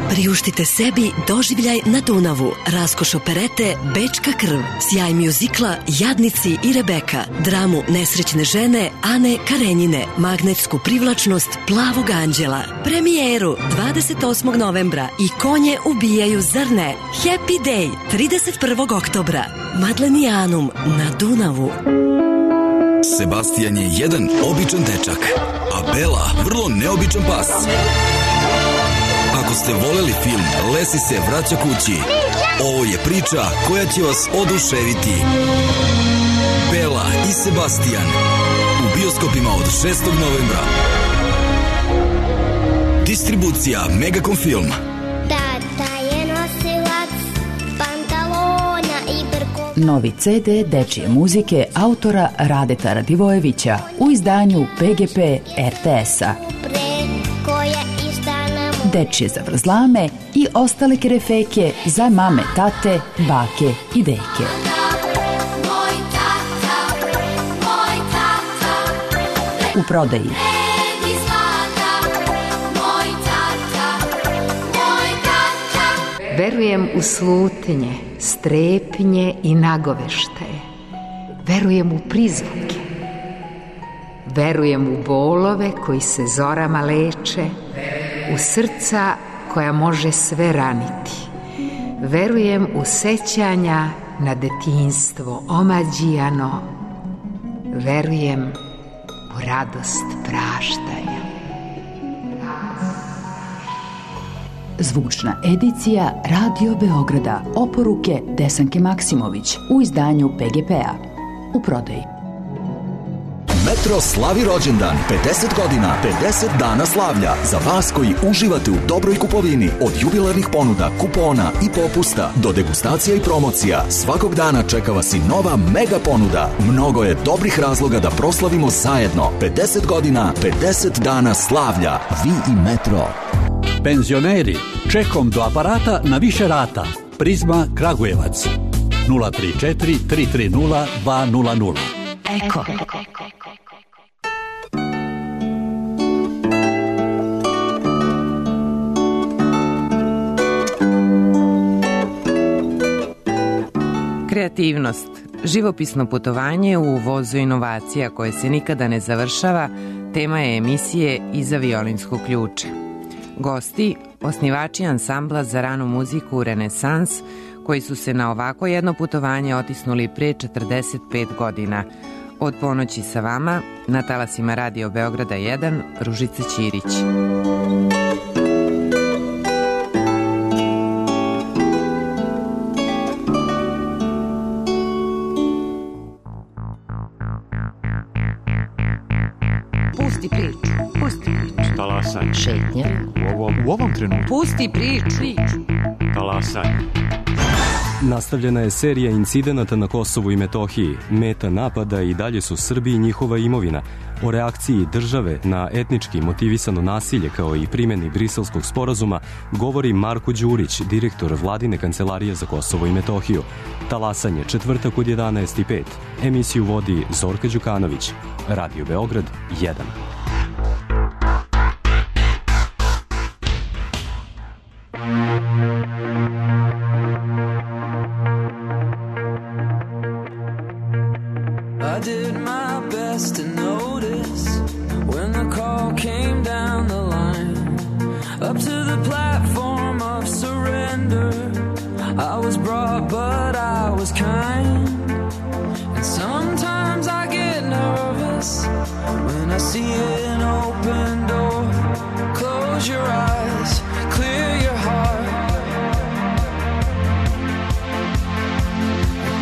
Priuštite sebi doživljaj na Dunavu, raskoš operete Bečka krv, sjaj mjuzikla Jadnici i Rebeka, dramu Nesrećne žene Ane Karenjine, magnetsku privlačnost Plavog anđela, premijeru 28. novembra i Konje ubijaju, zar ne? Happy Day 31. oktobra, Madlenijanum na Dunavu. Sebastian je jedan običan dečak, a Bela vrlo neobičan pas. Ako ste voleli film Lesi se vraća kući, ovo je priča koja će vas oduševiti. Bela i Sebastian u bioskopima od 6. novembra. Distribucija Megacom Film. Tata je nosilac pantalona i brko. Novi CD dečije muzike autora Radeta Radivojevića u izdanju PGP RTS-a. Dečije zavrzlame i ostale kerefeke za mame, tate, bake i deke. U prodaji. Verujem u slutnje, strepnje i nagoveštaje. Verujem u prizvuke. Verujem u bolove koji se zorama leče, u srca koja može sve raniti. Verujem u sećanja na detinjstvo omađijano. Verujem u radost praštanja. Zvučna edicija Radio Beograda. Oporuke Desanke Maksimović u izdanju PGP-a. U prodaji. Metro slavi rođendan, 50 godina, 50 dana slavlja. Za vas koji uživate u dobroj kupovini, od jubilarnih ponuda, kupona i popusta do degustacija i promocija, svakog dana čeka vas i nova mega ponuda. Mnogo je dobrih razloga da proslavimo zajedno. 50 godina, 50 dana slavlja. Vi i Metro. Penzioneri, čekom do aparata na više rata. Prizma Kragujevac. 034 330 200. Eko. Kreativnost, živopisno putovanje u vozu inovacija koje se nikada ne završava, tema je emisije Iza violinskog ključa. Gosti, osnivači ansambla za ranu muziku Renesans, koji su se na ovako jedno putovanje otisnuli pre 45 godina. Od ponoći sa vama, na talasima Radio Beograda 1, Ružica Ćirić. Pusti priču, pusti priču. Talasanje. Šetnja. U ovom trenutku. Pusti priču. Talasanje. Nastavljena je serija incidenata na Kosovu i Metohiji. Meta napada i dalje su Srbi i njihova imovina. O reakciji države na etnički motivisano nasilje kao i primjeni Briselskog sporazuma govori Marko Đurić, direktor Vladine kancelarije za Kosovo i Metohiju. Talasanje četvrtak od 11:05. Emisiju vodi Zorka Đukanović. Radio Beograd 1. I did my best to notice when the call came down the line up to the platform of surrender. I was brought, but I was kind. And sometimes I get nervous when I see an open door. Close your eyes, clear your heart,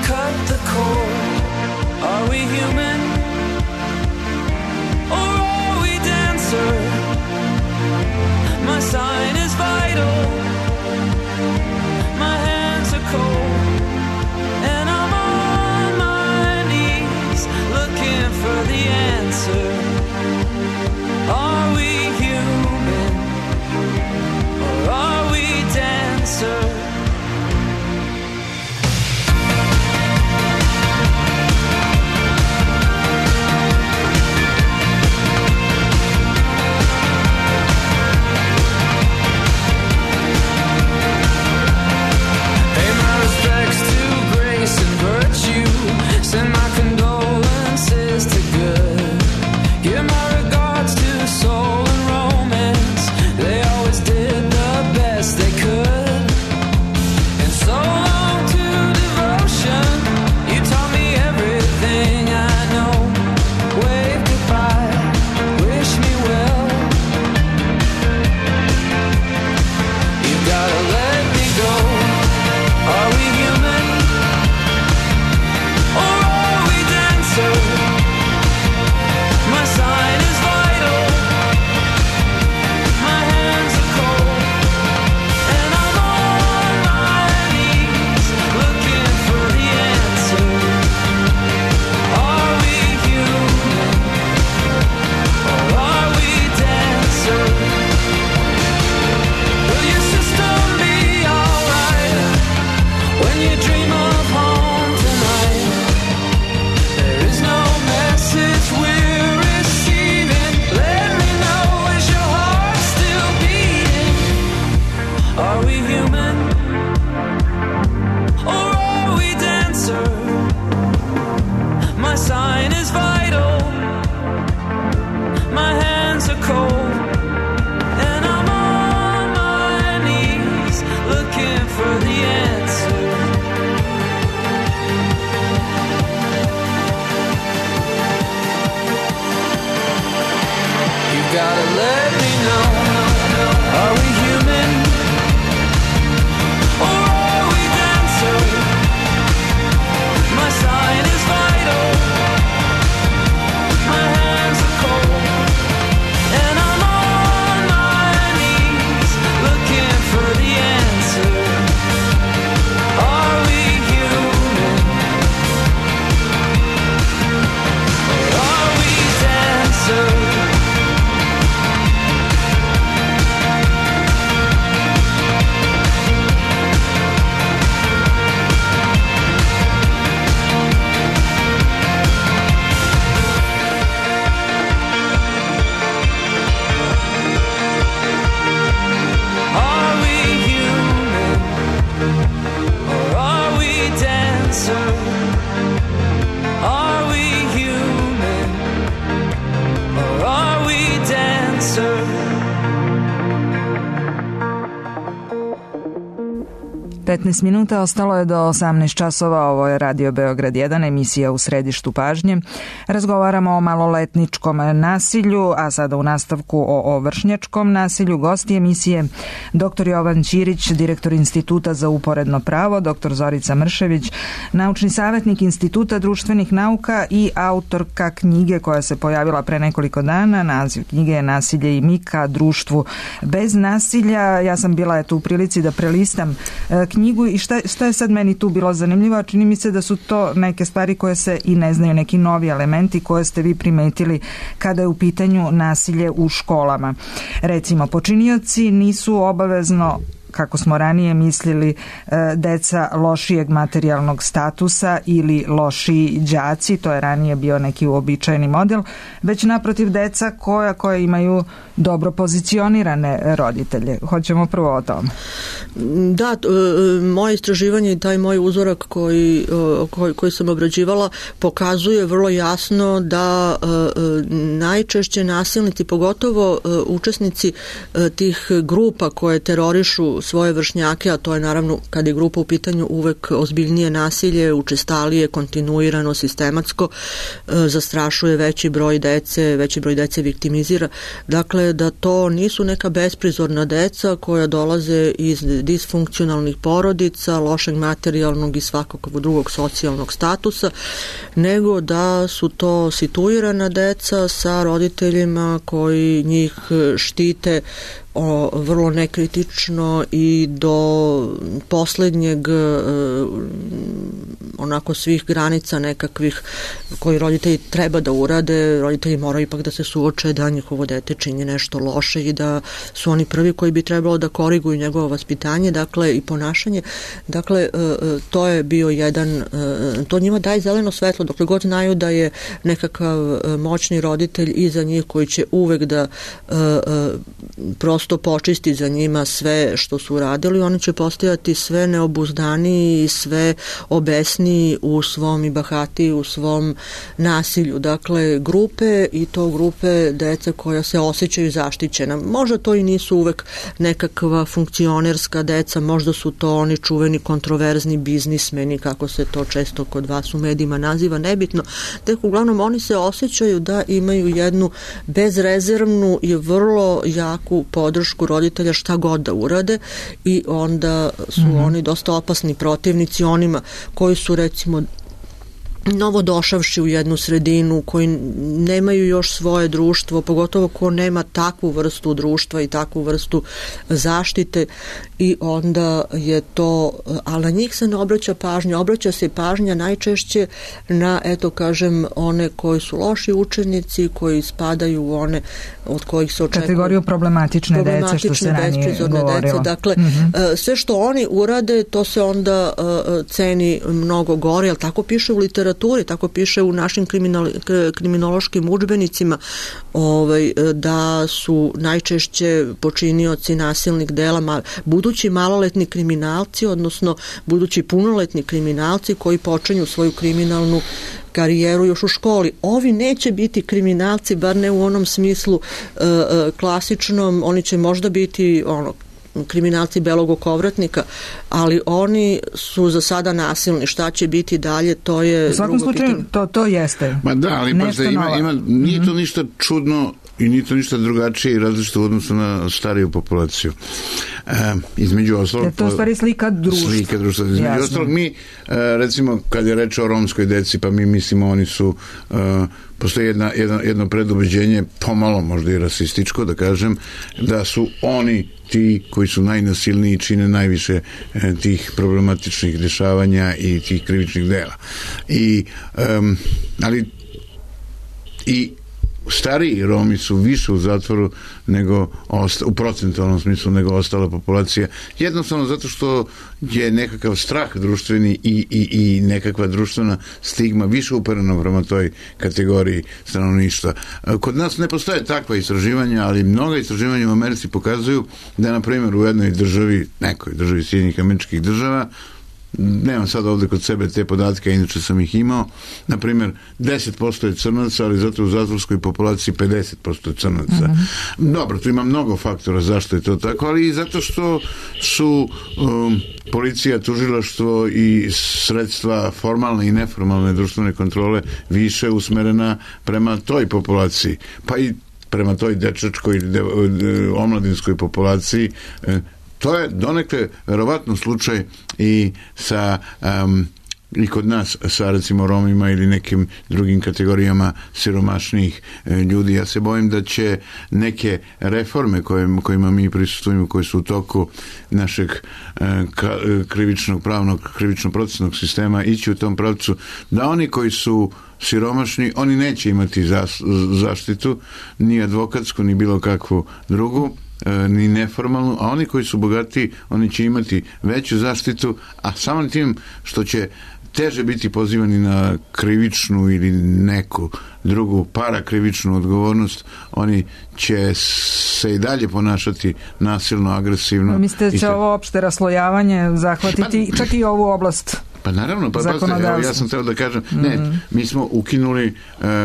cut the cord. Are we human, or are we dancer? My sign is vital, my hands are cold, and I'm on my knees looking for the answer. Are we human, or are we dancer? Send my condolences to good. Give my regards to soul and romance. They always did the best they could. And so long to devotion. You taught me everything I know. Wave goodbye, wish me well. You gotta let me go. Are we human? My sign is vital, my hands are cold, and I'm on my knees looking for the answer. Are we human, or are we dancer? Will your system be alright when you dream of home tonight? There is no message we're receiving. Let me know, is your heart still beating? Are we human, or are we dancer? My sign is vital, my hands are cold, and I'm on my knees looking for the answer. Gotta let me know, are we human, or are we dancer? My sign is vital, my hands are cold, and I'm on my knees looking for the answer. Are we human, or are we dancer? Are we human, or are we dancer? 15 minuta ostalo je do 18 časova. Ovo je Radio Beograd 1, emisija U središtu pažnje. Razgovaramo o maloletničkom nasilju, a sada u nastavku o vršnjačkom nasilju. Gosti emisije dr. Jovan Ćirić, direktor Instituta za uporedno pravo, dr. Zorica Mršević, naučni savjetnik Instituta društvenih nauka i autorka knjige koja se pojavila pre nekoliko dana. Naziv knjige je Nasilje i mi ka društvu bez nasilja. Ja sam bila u prilici da prelistam knjigu knjigu i šta je sad meni tu bilo zanimljivo, a čini mi se da su to neke stvari koje se i ne znaju, neki novi elementi koje ste vi primetili kada je u pitanju nasilje u školama. Recimo, počinioci nisu obavezno, kako smo ranije mislili, deca lošijeg materijalnog statusa ili lošiji đaci, to je ranije bio neki uobičajeni model, već naprotiv deca koja imaju dobro pozicionirane roditelje. Hoćemo prvo o tom. Da, moje istraživanje i taj moj uzorak koji sam obrađivala pokazuje vrlo jasno da najčešće nasilnici, pogotovo učesnici tih grupa koje terorišu svoje vršnjake, a to je naravno kad je grupa u pitanju uvek ozbiljnije nasilje, učestalije, kontinuirano, sistematsko, zastrašuje veći broj dece viktimizira. Dakle, da to nisu neka besprizorna deca koja dolaze iz disfunkcionalnih porodica, lošeg materijalnog i svakog drugog socijalnog statusa, nego da su to situirana deca sa roditeljima koji njih štite vrlo nekritično i do poslednjeg onako svih granica nekakvih koji roditelji treba da urade. Roditelji moraju ipak da se suoče da njihovo dete čini nešto loše i da su oni prvi koji bi trebalo da koriguju njegovo vaspitanje, dakle i ponašanje. Dakle, to je bio jedan, to njima daje zeleno svetlo, dokle god znaju da je nekakav moćni roditelj iza njih koji će uvek da prosto počisti za njima sve što su uradili, oni će postajati sve neobuzdaniji i sve obesniji u svom i bahatiji u svom nasilju. Dakle, grupe i to grupe dece koja se osjećaju zaštićena. Možda to i nisu uvek nekakva funkcionerska deca, možda su to oni čuveni kontroverzni biznismeni, kako se to često kod vas u medijima naziva, nebitno. Tek uglavnom oni se osjećaju da imaju jednu bezrezervnu i vrlo jaku podršku roditelja šta god da urade i onda su oni dosta opasni protivnici onima koji su recimo novo došavši u jednu sredinu, koji nemaju još svoje društvo, pogotovo ko nema takvu vrstu društva i takvu vrstu zaštite i onda je to, ali na njih se ne obraća pažnja, obraća se pažnja najčešće na, eto kažem, one koji su loši učenici, koji spadaju u one od kojih se očekuje kategoriju problematične dece, što se ranije govorilo. Dakle, sve što oni urade, to se onda ceni mnogo gore, ali tako piše u literaturi, tako piše u našim kriminološkim udžbenicima, da su najčešće počinioci nasilnih dela budući maloletni kriminalci, odnosno budući punoletni kriminalci koji počinju svoju kriminalnu karijeru još u školi. Ovi neće biti kriminalci, bar ne u onom smislu klasičnom, oni će možda biti kriminalci belog okovratnika, ali oni su za sada nasilni. Šta će biti dalje, to je... U svakom slučaju, to jeste. Ma da, ali nije to ništa čudno i nije to ništa drugačije i različito u odnosu na stariju populaciju. Između ostalog... To je stvari slika društva. Između ostalog, mi, recimo, kad je reč o romskoj deci, pa mi mislimo oni su... Postoji jedno predubeđenje, pomalo možda i rasističko, da kažem, da su oni ti koji su najnasilniji, čine najviše tih problematičnih dešavanja i tih krivičnih dela. Ali stariji Romi su više u zatvoru nego u procentualnom smislu nego ostala populacija. Jednostavno zato što je nekakav strah društveni i nekakva društvena stigma više uperena prema toj kategoriji stanovništva. Kod nas ne postoje takva istraživanja, ali mnoga istraživanja u Americi pokazuju da, na primjer, u jednoj državi, nekoj državi Sjedinjenih Američkih Država, nemam sad ovde kod sebe te podatke, inače sam ih imao, na primjer 10% je crnaca, ali zato u zatvorskoj populaciji 50% je crnaca. Dobro, tu ima mnogo faktora zašto je to tako, ali i zato što su policija, tužilaštvo i sredstva formalne i neformalne društvene kontrole više usmerena prema toj populaciji, pa i prema toj dečačkoj omladinskoj populaciji. To je donekle verovatno slučaj i sa i kod nas sa recimo Romima ili nekim drugim kategorijama siromašnijih ljudi. Ja se bojim da će neke reforme kojima mi prisustujemo, koje su u toku našeg krivično-procesnog sistema, ići u tom pravcu da oni koji su siromašni, oni neće imati zaštitu, ni advokatsku, ni bilo kakvu drugu, ni neformalnu, a oni koji su bogati, oni će imati veću zaštitu, a samo tim što će teže biti pozivani na krivičnu ili neku drugu parakrivičnu odgovornost, oni će se i dalje ponašati nasilno, agresivno. Mislite da će ovo opšte raslojavanje zahvatiti čak i ovu oblast? Pa naravno, ja sam teo da kažem, ne, mi smo ukinuli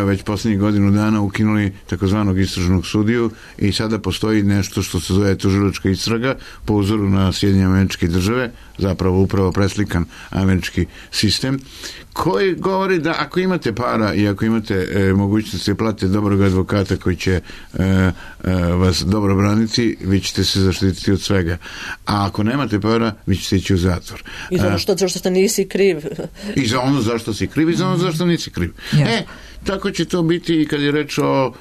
već posljednjih godinu dana ukinuli takozvanog istražnog sudiju i sada postoji nešto što se zove tužilačka istraga po uzoru na Sjedinjene Američke Države, zapravo upravo preslikan američki sistem, koji govori da ako imate para i ako imate mogućnosti plate dobrog advokata koji će vas dobro braniti, vi ćete se zaštititi od svega. A ako nemate para, vi ćete ići u zatvor. I za ono što ste nisi kriv. I za ono zašto si kriv i za ono zašto nisi kriv. Tako će to biti i kad je reč o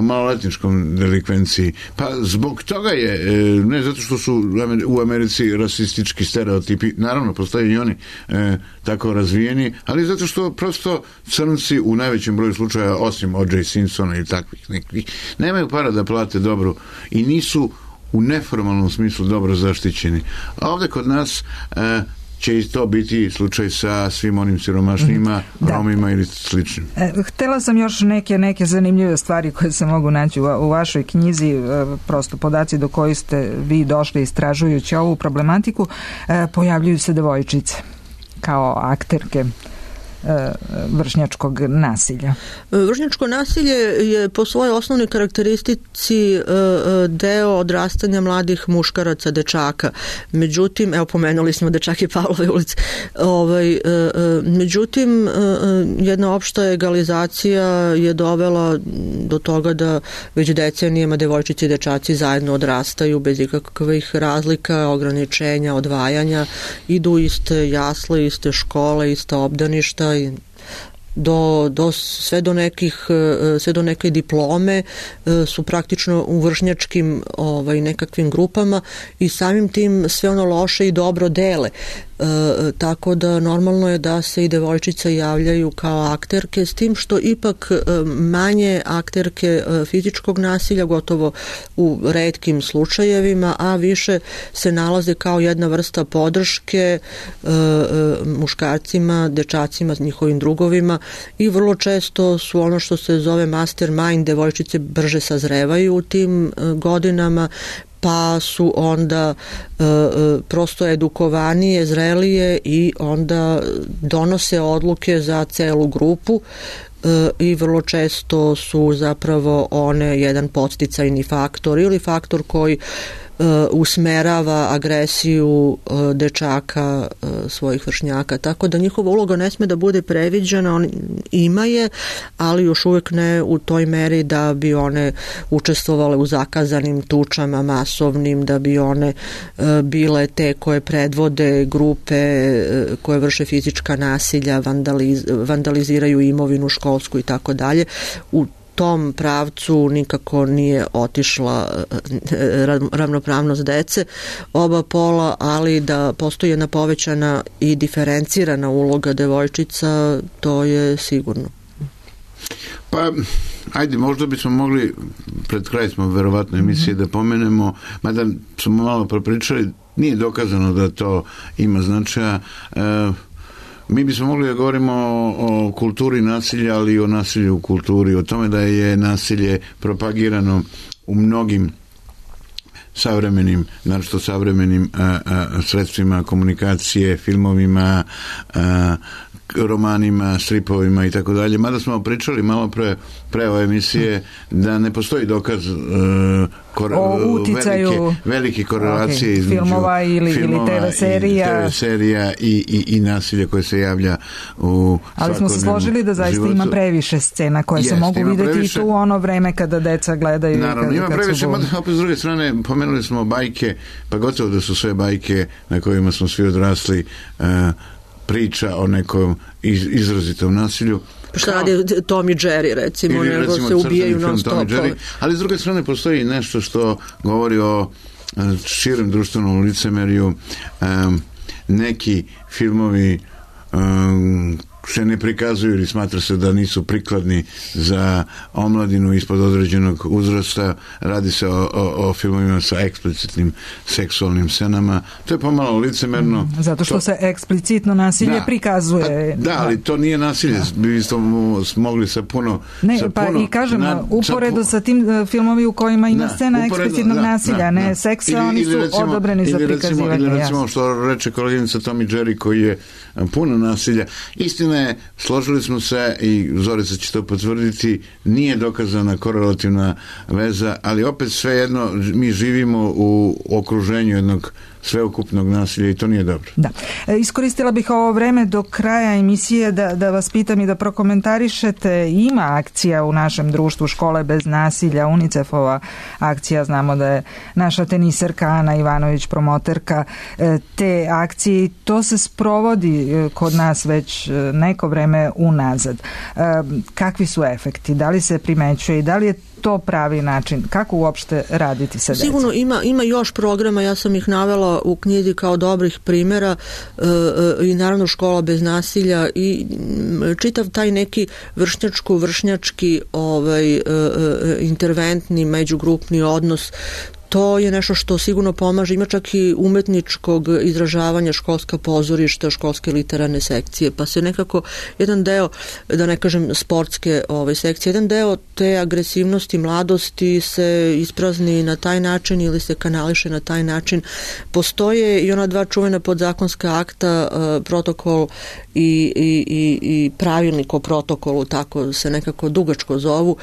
maloletničkom delikvenciji. Pa zbog toga je, ne zato što su u Americi rasistički stereotipi, naravno postoje i oni tako razvijeni, ali zato što prosto crnci u najvećem broju slučaja, osim O.J. Simpsona i takvih nekih, nemaju para da plate dobro i nisu u neformalnom smislu dobro zaštićeni. A ovdje kod nas će i to biti slučaj sa svim onim siromašnijima, Romima ili sličnim. Htela sam još neke zanimljive stvari koje se mogu naći u vašoj knjizi, prosto podaci do kojih ste vi došli istražujući ovu problematiku. Pojavljuju se devojčice kao akterke vršnjačkog nasilja. Vršnjačko nasilje je po svojoj osnovnoj karakteristici deo odrastanja mladih muškaraca, dečaka. Međutim, evo pomenuli smo dečake Pavlove ulice, međutim jedna opšta egalizacija je dovela do toga da već decenijama devojčice i dečaci zajedno odrastaju bez ikakvih razlika, ograničenja, odvajanja, idu iste jasle, iste škole, ista obdaništa, sve do neke diplome su praktično u vršnjačkim nekakvim grupama i samim tim sve ono loše i dobro dele. Tako da normalno je da se i devojčice javljaju kao akterke, s tim što ipak manje akterke fizičkog nasilja, gotovo u retkim slučajevima, a više se nalaze kao jedna vrsta podrške muškarcima, dečacima, njihovim drugovima i vrlo često su ono što se zove mastermind, devojčice brže sazrevaju u tim godinama, pa su onda prosto edukovanije, zrelije i onda donose odluke za celu grupu i vrlo često su zapravo one jedan podsticajni faktor ili faktor koji usmerava agresiju dečaka svojih vršnjaka, tako da njihova uloga ne sme da bude previđena, on ima je, ali još uvijek ne u toj meri da bi one učestvovale u zakazanim tučama masovnim, da bi one bile te koje predvode grupe koje vrše fizička nasilja, vandaliziraju imovinu školsku i tako dalje. U tom pravcu nikako nije otišla ravnopravnost dece oba pola, ali da postoji jedna povećana i diferencirana uloga devojčica, to je sigurno. Pa, ajde, možda bismo mogli, pred kraj smo verovatno emisije da pomenemo, mada smo malo propričali, nije dokazano da to ima značaja. Mi bismo mogli da govorimo o kulturi nasilja, ali i o nasilju u kulturi, o tome da je nasilje propagirano u mnogim savremenim, naročito savremenim sredstvima komunikacije, filmovima, romanima, stripovima i tako dalje. Mada smo pričali malo pre ove emisije da ne postoji dokaz velike korelacije između filmova ili TV serija i nasilja koje se javlja u ali smo se složili da zaista životu. Ima previše scena koje se mogu vidjeti i tu ono vreme kada deca gledaju. Naravno, ima previše, opet s druge strane pomenuli smo bajke, pa gotovo da su sve bajke na kojima smo svi odrasli priča o nekom izrazitom nasilju. Šta radi Tom i Jerry, recimo, nego se ubijaju non stop. Ali s druge strane postoji nešto što govori o širem društvenom licemerju. Neki filmovi se ne prikazuju ili smatra se da nisu prikladni za omladinu ispod određenog uzrasta. Radi se o filmovima sa eksplicitnim seksualnim scenama. To je pomalo licemerno. Zato što se eksplicitno nasilje prikazuje. Da, ali to nije nasilje. Vi ste mogli sa puno... I kažemo, uporedo sa tim filmovi u kojima ima scena eksplicitnog nasilja, ne seksa, oni su odobreni za prikazivanje. Ili recimo što reče koleginica Tom i Jerry, koji je puno nasilja. Istina je, složili smo se i Zorica će to potvrditi, nije dokazana korelativna veza, ali opet svejedno mi živimo u okruženju jednog sveukupnog nasilja i to nije dobro. Da. Iskoristila bih ovo vreme do kraja emisije da vas pitam i da prokomentarišete. Ima akcija u našem društvu Škole bez nasilja, UNICEF-ova akcija, znamo da je naša teniserka Ana Ivanović promoterka te akcije i to se sprovodi kod nas već neko vreme unazad. Kakvi su efekti? Da li se primećuje i da li je to pravi način? Kako uopšte raditi sa decom? Sigurno ima još programa, ja sam ih navela u knjizi kao dobrih primjera i naravno Škola bez nasilja i čitav taj neki vršnjački interventni međugrupni odnos. To je nešto što sigurno pomaže. Ima čak i umetničkog izražavanja, školska pozorišta, školske literarne sekcije, pa se nekako jedan deo, da ne kažem sportske sekcije, jedan deo te agresivnosti mladosti se isprazni na taj način ili se kanališe na taj način. Postoje i ona dva čuvena podzakonska akta, protokol i pravilnik o protokolu, tako se nekako dugačko zovu,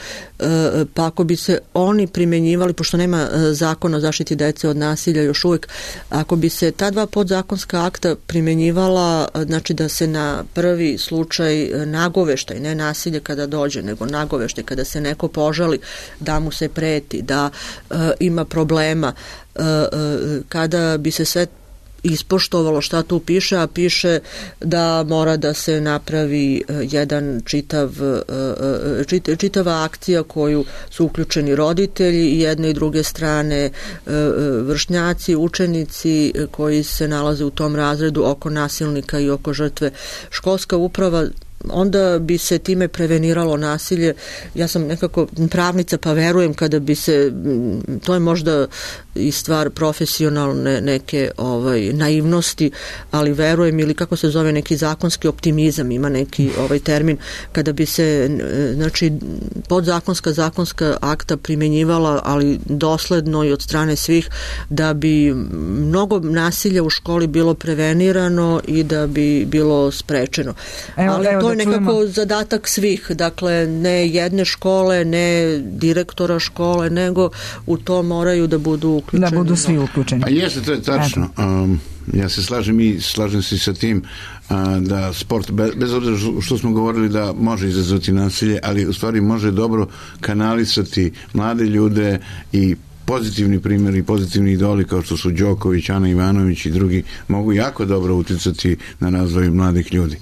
pa ako bi se oni primenjivali, pošto nema zakona o zaštiti dece od nasilja još uvijek, ako bi se ta dva podzakonska akta primenjivala, znači da se na prvi slučaj nagoveštaj, ne nasilje kada dođe, nego nagoveštaj kada se neko požali da mu se preti, da ima problema, kada bi se sve ispoštovalo šta tu piše, a piše da mora da se napravi jedan čitava akcija koju su uključeni roditelji i jedne i druge strane vršnjaci, učenici koji se nalaze u tom razredu oko nasilnika i oko žrtve. Školska uprava, onda bi se time preveniralo nasilje. Ja sam nekako pravnica, pa verujem kada bi se, to je možda i stvar profesionalne neke naivnosti, ali verujem, ili kako se zove, neki zakonski optimizam, ima neki termin, kada bi se znači zakonska akta primjenjivala, ali dosledno i od strane svih, da bi mnogo nasilja u školi bilo prevenirano i da bi bilo sprečeno. Ali to je nekako zadatak svih, dakle ne jedne škole, ne direktora škole, nego u to moraju da budu uključeni. Da budu svi uključeni. Pa jeste, to je tačno. Ja se slažem se sa tim da sport, bez obzira što smo govorili da može izazvati nasilje, ali u stvari može dobro kanalisati mlade ljude i pozitivni primjeri, pozitivni idoli kao što su Đoković, Ana Ivanović i drugi mogu jako dobro uticati na razvoj mladih ljudi.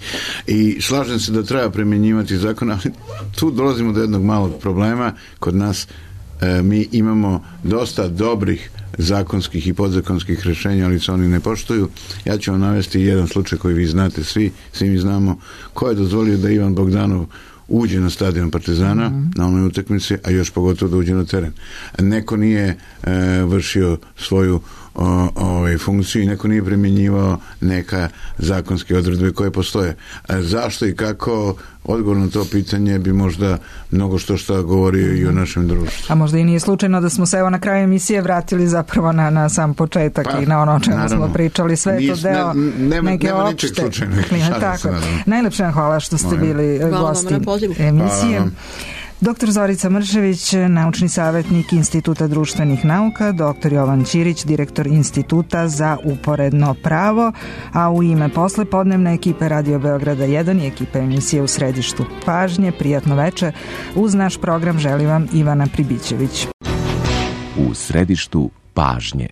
I slažem se da treba primjenjivati zakon, ali tu dolazimo do jednog malog problema. Kod nas mi imamo dosta dobrih zakonskih i podzakonskih rješenja, ali se oni ne poštuju. Ja ću vam navesti jedan slučaj koji vi znate, svi mi znamo, ko je dozvolio da Ivan Bogdanov uđe na stadion Partizana na onoj utakmici, a još pogotovo da uđe na teren. Neko nije vršio svoju funkciju i neko nije primjenjivao neka zakonske odredbe koje postoje. Zašto i kako? Odgovor na to pitanje bi možda mnogo što govorio i o našem društvu. A možda i nije slučajno da smo se evo na kraju emisije vratili zapravo na sam početak i na ono o čemu smo pričali. Sve je to deo neke opšte. Najlepše vam hvala što ste bili gosti emisije. Dr. Zorica Mršević, naučni savjetnik Instituta društvenih nauka, dr. Jovan Ćirić, direktor Instituta za uporedno pravo, a u ime poslepodnevne ekipe Radio Beograda 1 i ekipe emisije U središtu pažnje, prijatno veče. Uz naš program želi vam Ivana Pribićević. U središtu pažnje.